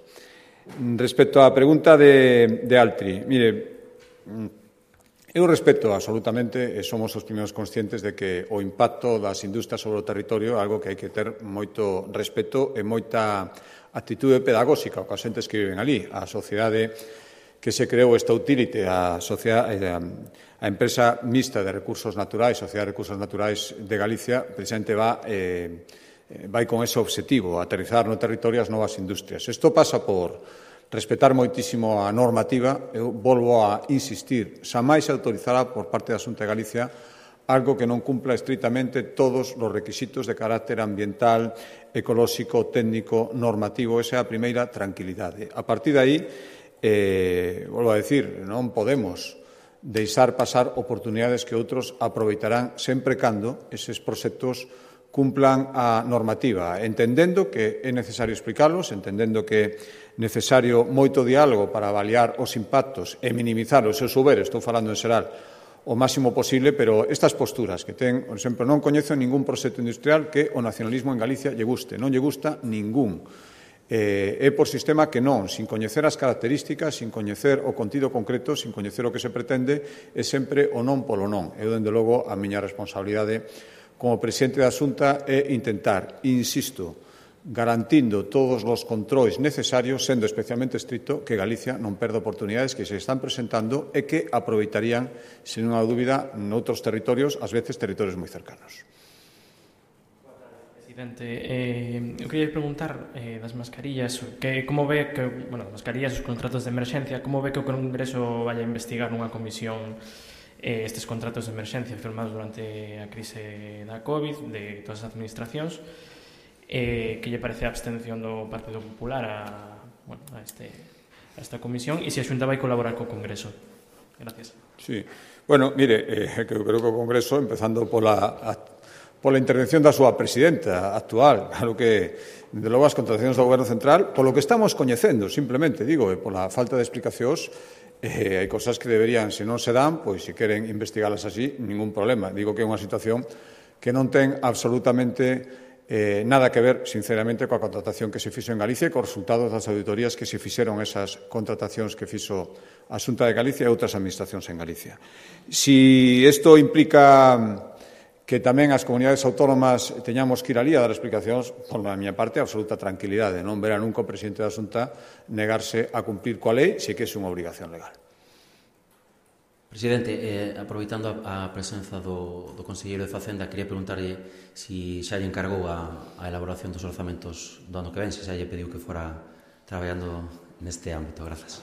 Respecto á pregunta de Altri, eu respeto absolutamente e somos os primeiros conscientes de que o impacto das industrias sobre o territorio é algo que hai que ter moito respeto e moita actitude pedagóxica aos xentes que viven ali. A sociedade que se creou esta utility, a empresa mixta de recursos naturais, Sociedade de Recursos Naturais de Galicia, precisamente vai con ese obxectivo, aterrizar no territorio as novas industrias. Isto pasa por respetar moitísimo a normativa. Eu volvo a insistir, xa máis se autorizará por parte da Xunta de Galicia algo que non cumpla estritamente todos os requisitos de carácter ambiental, ecolóxico, técnico, normativo. Esa é a primeira tranquilidade. A partir de aí, volvo a decir, non podemos deixar pasar oportunidades que outros aproveitarán sempre cando eses proxectos cumplan a normativa, entendendo que é necesario explicalos, entendendo que é necesario moito diálogo para avaliar os impactos e minimizar os seus soberes. Estou falando en xeral o máximo posible, pero estas posturas que ten, por exemplo, non coñezo ningún proxecto industrial que o nacionalismo en Galicia lle guste, non lle gusta ningún. É por sistema que non, sin coñecer as características, sin coñecer o contido concreto, sin coñecer o que se pretende, é sempre o non polo non. Eu, dende logo, a miña responsabilidade como presidente da Xunta é intentar, insisto, garantindo todos os controis necesarios, sendo especialmente estricto, que Galicia non perda oportunidades que se están presentando e que aproveitarían, sen unha dúbida, noutros territorios, ás veces territorios moi cercanos. Presidente, eu queria preguntar das mascarillas, como ve que, das mascarillas, os contratos de emerxencia, como ve que o Congreso vai a investigar nunha comisión estes contratos de emerxencia firmados durante a crise da COVID de todas as administracións? Que lle parece a abstención do Partido Popular a esta comisión e se a Xunta vai colaborar co Congreso. Gracias. Sí. Bueno, mire, creo que o Congreso, empezando pola intervención da súa presidenta actual, claro que, de logo, as contratacións do Goberno Central, polo que estamos coñecendo, simplemente, digo, pola falta de explicacións, hai cosas que deberían, se non se dan, pois, se queren investigalas así, ningún problema. Digo que é unha situación que non ten absolutamente nada que ver, sinceramente, coa contratación que se fixo en Galicia e cos resultados das auditorías que se fixeron esas contratacións que fixo a Xunta de Galicia e outras administracións en Galicia. Si isto implica que tamén as comunidades autónomas teñamos que ir alí a dar explicacións, por a miña parte, absoluta tranquilidade. Non verá nunca o presidente da Xunta negarse a cumplir coa lei se que é unha obrigación legal. Presidente, aproveitando a presenza do conselleiro de Facenda, quería preguntarlle se xa lle encargou a elaboración dos orzamentos do ano que ven, se xa lle pediu que fora traballando neste ámbito. Grazas.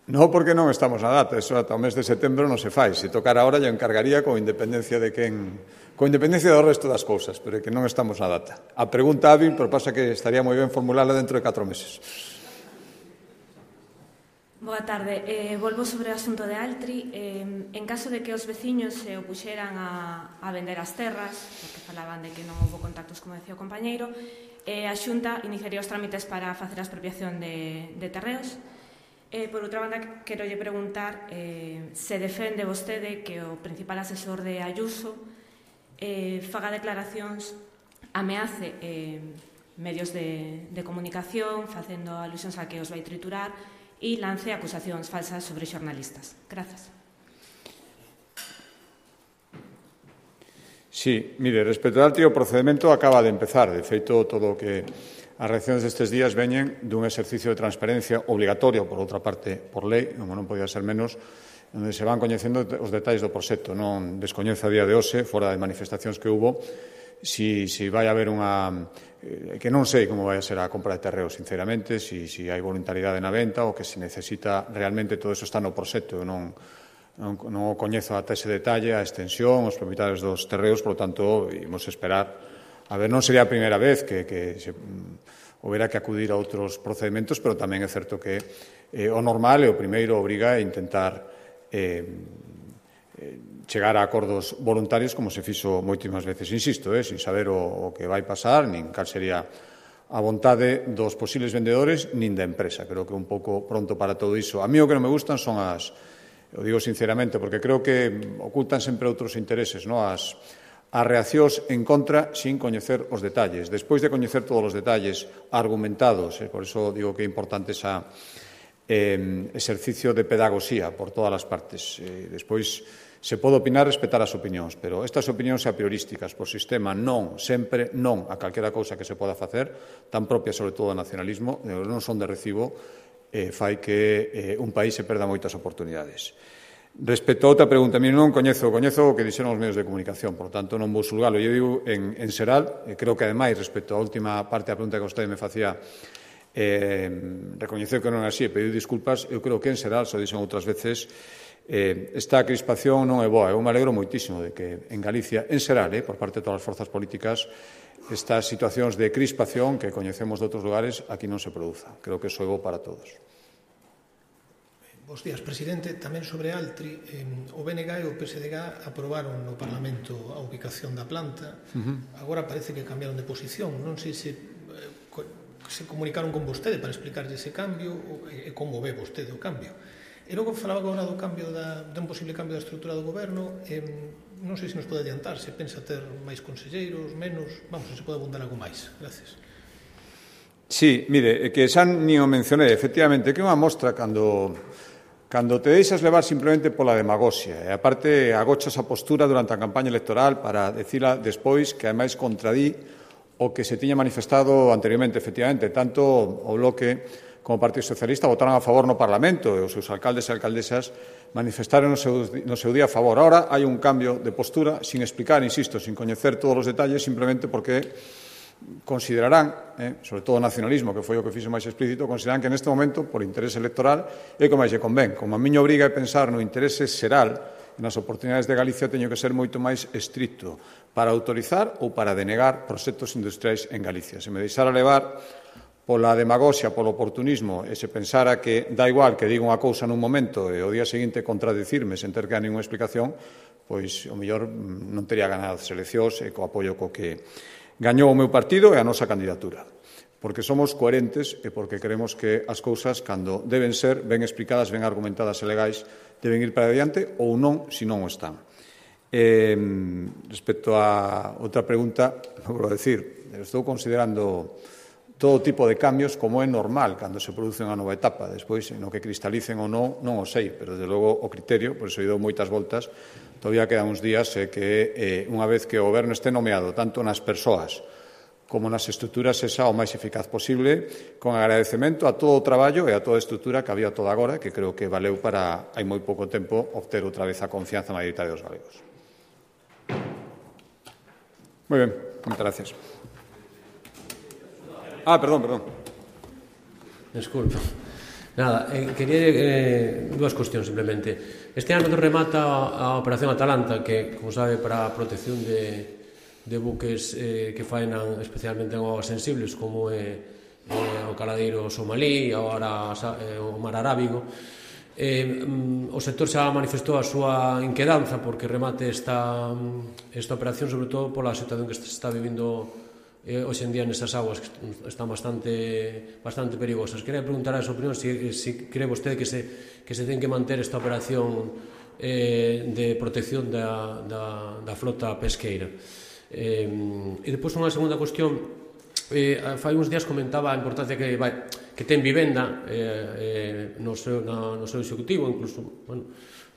Non, porque non estamos na data, eso ata o mes de setembro non se fai. Se tocara ahora, lle encargaría con independencia de con independencia do resto das cousas, pero é que non estamos na data. A pregunta hábil, pero pasa que estaría moi ben formulala dentro de 4 meses. Boa tarde. Volvo sobre o asunto de Altri. En caso de que os veciños se opuxeran a vender as terras, porque falaban de que non houve contactos, como decía o compañeiro, a Xunta iniciaría os trámites para facer a expropiación de terreos. Por outra banda, quero lle preguntar se defende vostede que o principal asesor de Ayuso faga declaracións, ameace medios de comunicación, facendo alusións a que os vai triturar, e lance acusacións falsas sobre xornalistas. Grazas. Sí, mire, respecto ao Altri, o procedimento acaba de empezar. De feito, todo o que as reaccións destes días veñen dun exercicio de transparencia obligatorio, por outra parte, por lei, como non podía ser menos, onde se van coñecendo os detalles do proxecto. Non descoñezo a día de hoxe, fora de manifestacións que hubo, si vai haber unha... que non sei como vai a ser a compra de terreos, sinceramente, si hai voluntariedade na venta ou que se necesita realmente, todo eso está no proxecto. Eu non o coñezo ata ese detalle, a extensión, os propietarios dos terreos, por lo tanto, imos esperar. A ver, non sería a primeira vez que se houbera que acudir a outros procedementos, pero tamén é certo que o normal e o primeiro obriga a intentar chegar a acordos voluntarios, como se fixo moitísimas veces, insisto, sin saber o que vai pasar, nin cal sería a vontade dos posibles vendedores, nin da empresa. Creo que é un pouco pronto para todo iso. A mí o que non me gustan son o digo sinceramente, porque creo que ocultan sempre outros intereses, as reaccións en contra sin coñecer os detalles. Despois de coñecer todos os detalles argumentados, por iso digo que é importante ese exercicio de pedagogía por todas as partes. Despois se pode opinar, respetar as opinións, pero estas opinións a priorísticas por sistema non, sempre non a calquera cousa que se poda facer, tan propia sobre todo do nacionalismo, non son de recibo, fai que un país se perda moitas oportunidades. Respecto a outra pregunta, non coñezo o que dixeron os medios de comunicación, por tanto non vou xulgalo. Eu digo en Seral, creo que ademais, respecto á última parte da pregunta que vostede me facía, recoñeceu que non é así e pediu disculpas. Eu creo que en Seral, xa dixen outras veces, esta crispación non é boa. Eu me alegro moitísimo de que en Galicia, en Seral, por parte de todas as forzas políticas, estas situacións de crispación que coñecemos de outros lugares aquí non se produzan. Creo que iso é bo para todos. Bos días, presidente. Tamén sobre Altri, o BNG e o PSDG aprobaron no Parlamento a ubicación da planta. Agora parece que cambiaron de posición. Non sei se comunicaron con vostede para explicarlle ese cambio e como ve vostede o cambio. E logo falaba agora do cambio dun posible cambio da estrutura do goberno. Non sei se nos pode adiantar, se pensa ter máis conselleiros, menos, vamos, se pode abundar algo máis. Gracias. Sí, mire, que xa nin o mencionei, efectivamente, que é unha mostra cando te deixas levar simplemente pola demagoxia, e aparte agochas a postura durante a campaña electoral para decila despois que ademais contradí o que se tiña manifestado anteriormente, efectivamente, tanto o Bloque como o Partido Socialista votaron a favor no Parlamento e os seus alcaldes e alcaldesas manifestaron no seu día a favor. Ahora hai un cambio de postura sin explicar, insisto, sin coñecer todos os detalles, simplemente porque considerarán, sobre todo o nacionalismo, que foi o que fixo máis explícito, considerarán que neste momento, por interés electoral, é como máis lle convén. Como a miña obriga é pensar no interese xeral e nas oportunidades de Galicia, teño que ser moito máis estricto para autorizar ou para denegar proxectos industriais en Galicia. Se me deixara levar pola demagoxia, polo oportunismo, e se pensara que dá igual que diga unha cousa nun momento e o día seguinte contradicirme sen ter que dar ninguna explicación, pois o mellor non tería ganado as eleccións e co apoio co que gañou o meu partido e a nosa candidatura. Porque somos coherentes e porque creemos que as cousas, cando deben ser ben explicadas, ben argumentadas e legais, deben ir para adiante ou non, se non o están. Respecto a outra pregunta, vou decir, estou considerando todo tipo de cambios como é normal cando se produce unha nova etapa. Despois, no que cristalicen ou non o sei, pero, desde logo, o criterio, por iso dou moitas voltas, todavía quedan uns días que, unha vez que o goberno este nomeado, tanto nas persoas como nas estruturas, sexa o máis eficaz posible, con agradecemento a todo o traballo e a toda a estrutura que había toda agora, que creo que valeu para, hai moi pouco tempo, obter outra vez a confianza mayoritaria dos galegos. Moi ben, moitas gracias. Perdón. Desculpa. Nada, quería dúas cuestións simplemente. Este ano remata a Operación Atalanta, que, como sabe, para a protección de buques que faenan especialmente en augas sensibles, como o caladeiro somalí, agora o mar Arábigo. O sector xa manifestou a súa inquedanza porque remate esta operación, sobre todo pola situación que se está vivindo hoxe en día nesas aguas que están bastante perigosas. Quería preguntar a súa opinión se cree vostede que se ten que manter esta operación de protección da flota pesqueira. E depois unha segunda cuestión, fai uns días comentaba a importancia que ten vivenda no seu executivo, incluso,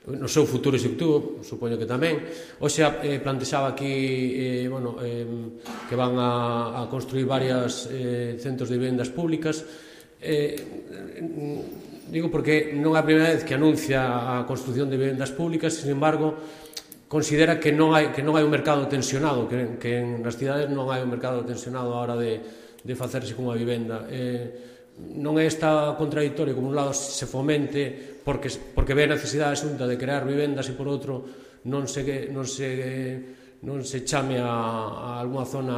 no seu futuro executivo, supoño que tamén. Hoxe plantexaba aquí que van a construir varios centros de vivendas públicas. Digo porque non é a primeira vez que anuncia a construción de vivendas públicas, sin embargo, considera que non hai un mercado tensionado, que nas cidades non hai un mercado tensionado a hora de facerse cunha vivenda. Non é esta contradictorio, como un lado se fomente porque ve a necesidade xunta de crear vivendas e por outro non se chame a alguna zona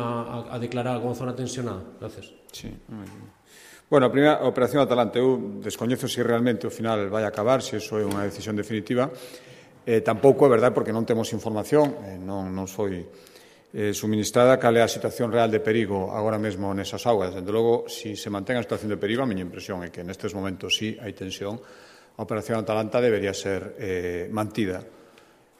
a declarar como zona tensionada. Gracias. Sí. Bueno, a primeira, a Operación Atalanta, eu descoñezo se realmente ao final vai acabar, se iso é unha decisión definitiva. Tampouco é verdade porque non temos información, non foi suministrada cal é a situación real de perigo agora mesmo nesas augas. Desde logo, se mantén a situación de perigo, a miña impresión é que nestes momentos sí hai tensión. A Operación Atalanta debería ser mantida.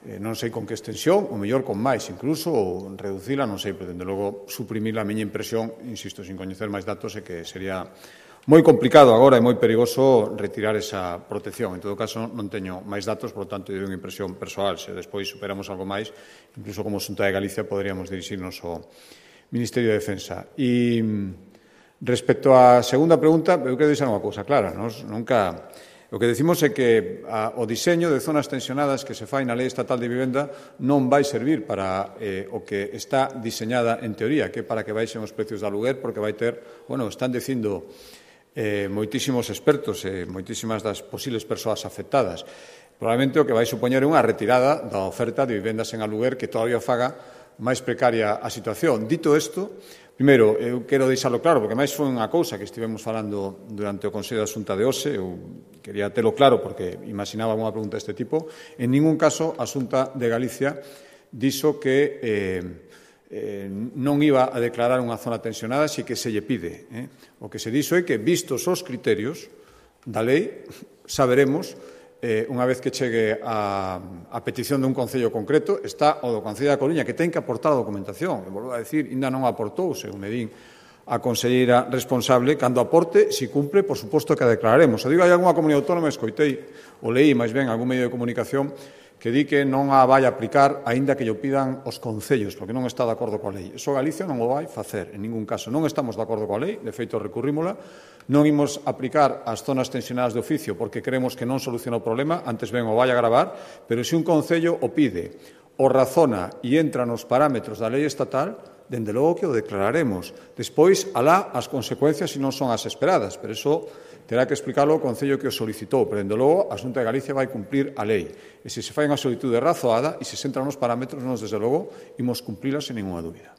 Non sei con que extensión, ou mellor con máis incluso, ou reducila, non sei, pero desde logo suprimir a miña impresión, insisto, sin coñecer máis datos, é que sería moi complicado agora e moi perigoso retirar esa protección. En todo caso, non teño máis datos, por lo tanto, é unha impresión persoal. Se despois superamos algo máis, incluso como Xunta de Galicia, poderíamos dirixirnos ao Ministerio de Defensa. E respecto á segunda pregunta, eu quero deixar unha cousa clara. O que decimos é que o diseño de zonas tensionadas que se fai na Lei Estatal de Vivenda non vai servir para o que está diseñada en teoría, que é para que baixen os precios de aluguer, porque vai ter, están dicindo moitísimos expertos e moitísimas das posibles persoas afectadas. Probablemente o que vai supoñer unha retirada da oferta de vivendas en aluguer que todavía faga máis precaria a situación. Dito isto, primeiro, eu quero deixarlo claro, porque máis foi unha cousa que estivemos falando durante o Consello da Xunta de hoxe, eu quería telo claro porque imaginaba unha pregunta deste tipo. En ningún caso a Xunta de Galicia dixo que non iba a declarar unha zona tensionada, si que se lle pide. O que se dixo é que, vistos os criterios da lei, saberemos, unha vez que chegue a petición dun concello concreto, está o do Concello da Coruña, que ten que aportar a documentación. E volvo a decir, ainda non aportou, según me din a conselleira responsable, cando aporte, si cumpre, por suposto que a declararemos. O digo, hai algunha comunidade autónoma, escoitei, o leí máis ben algún medio de comunicación, que di que non a vai aplicar aínda que lle pidan os concellos, porque non está de acordo coa lei. Iso Galicia non o vai facer, en ningún caso. Non estamos de acordo coa lei, de feito recurrímola, non imos aplicar as zonas tensionadas de oficio porque creemos que non soluciona o problema, antes ben o vai agravar, pero se un concello o pide, o razona e entra nos parámetros da lei estatal, dende logo que o declararemos. Despois, alá as consecuencias se non son as esperadas, pero iso terá que explicarlo o Concello que o solicitou, pero, dende logo, a Xunta de Galicia vai cumprir a lei. E se fai unha solitude razoada e se se entra nos parámetros, nos, desde logo, imos cumplila sen ninguna dúbida.